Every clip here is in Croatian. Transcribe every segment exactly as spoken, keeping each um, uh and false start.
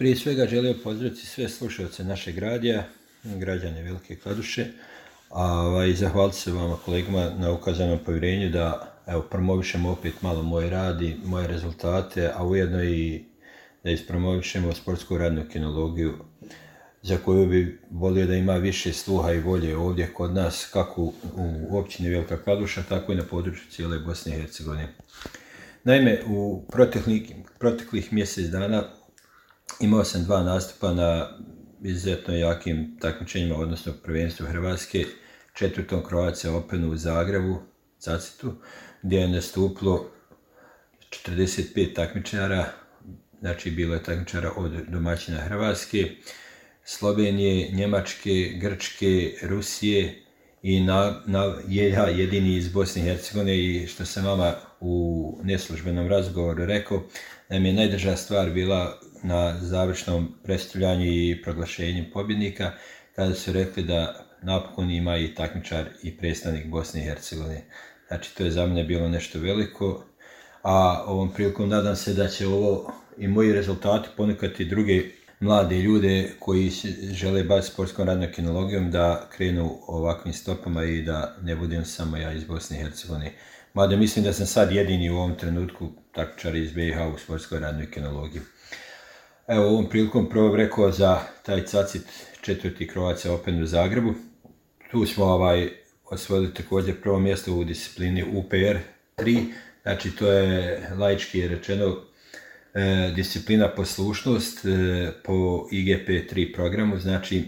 Prije svega želio pozdraviti sve slušalce našeg radija, građane Velike Kladuše, a i zahvaliti se vama kolegama na ukazanom povjerenju da evo, promovišemo opet malo moj rad i moje rezultate, a ujedno i da ispromovišemo sportsku radnu kinologiju za koju bi volio da ima više sluha i volje ovdje kod nas, kako u općini Velika Kladuša, tako i na području cijele Bosne i Hercegovine. Naime, u proteklih, proteklih mjesec dana imao sam dva nastupa na izuzetno jakim takmičenjima, odnosno prvenstvu Hrvatske, četvrtom Croatia Openu u Zagrebu, Cacitu, gdje je nastupilo četrdeset pet takmičara, znači bilo je takmičara od domaćina Hrvatske, Slovenije, Njemačke, Grčke, Rusije i na, na, ja jedini iz Bosne i Hercegovine, i što sam vama u neslužbenom razgovoru rekao, da mi je najdrža stvar bila na završnom predstavljanju i proglašenju pobjednika, kada su rekli da napokon ima i takmičar i predstavnik Bosne i Hercegovine. Znači, to je za mene bilo nešto veliko, a ovom prilikom nadam se da će ovo i moji rezultati ponukati druge mlade ljude koji žele baviti sportskom radnom kinologijom da krenu ovakvim stopama i da ne budem samo ja iz Bosne i Hercegovine. Mada mislim da sam sad jedini u ovom trenutku takmičar iz B i H u sportskoj radnoj kinologiji. Evo, ovom prilikom prvo rekao za taj Cacit četvrti Croatia Open u Zagrebu. Tu smo ovaj, osvojili također prvo mjesto u disciplini U P R tri, znači to je laički rečeno e, disciplina poslušnost e, po I G P tri programu, znači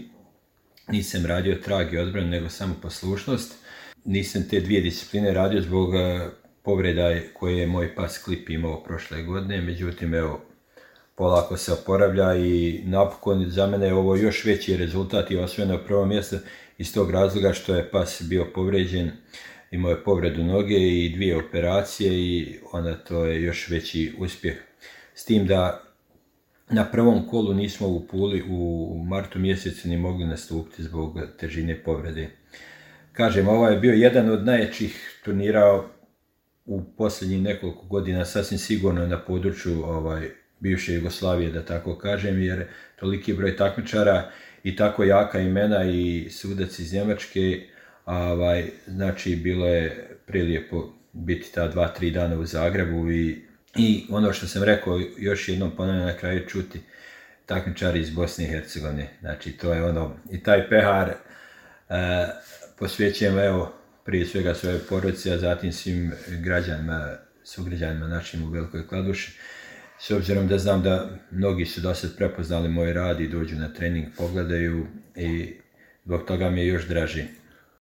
nisam radio trag i odbranu, nego samo poslušnost. Nisam te dvije discipline radio zbog e, povreda koje je moj pas Klip imao prošle godine, međutim evo, polako se oporavlja i napokon za mene je ovo još veći rezultat i osvojeno prvo mjesto iz tog razloga što je pas bio povređen, imao je povredu noge i dvije operacije i onda to je još veći uspjeh. S tim da na prvom kolu nismo u Puli u martu mjesecu ni mogli nastupiti zbog težine povrede. Kažem, ovo je bio jedan od najjačih turnira u posljednjih nekoliko godina, sasvim sigurno na području ovaj, bivše Jugoslavije, da tako kažem, jer toliki broj takmičara i tako jaka imena i sudac iz Njemačke, ovaj, znači bilo je prilijepo biti ta dva, tri dana u Zagrebu i, i ono što sam rekao, još jednom ponavljam na kraju čuti takmičari iz Bosne i Hercegovine, znači to je ono, i taj pehar e, posvećujem evo prije svega svoje porodici, a zatim svim građanima, sugrađanima našim u Velikoj Kladuši. S obzirom da znam da mnogi su do sad prepoznali moj rad i dođu na trening, pogledaju i zbog toga mi je još draži.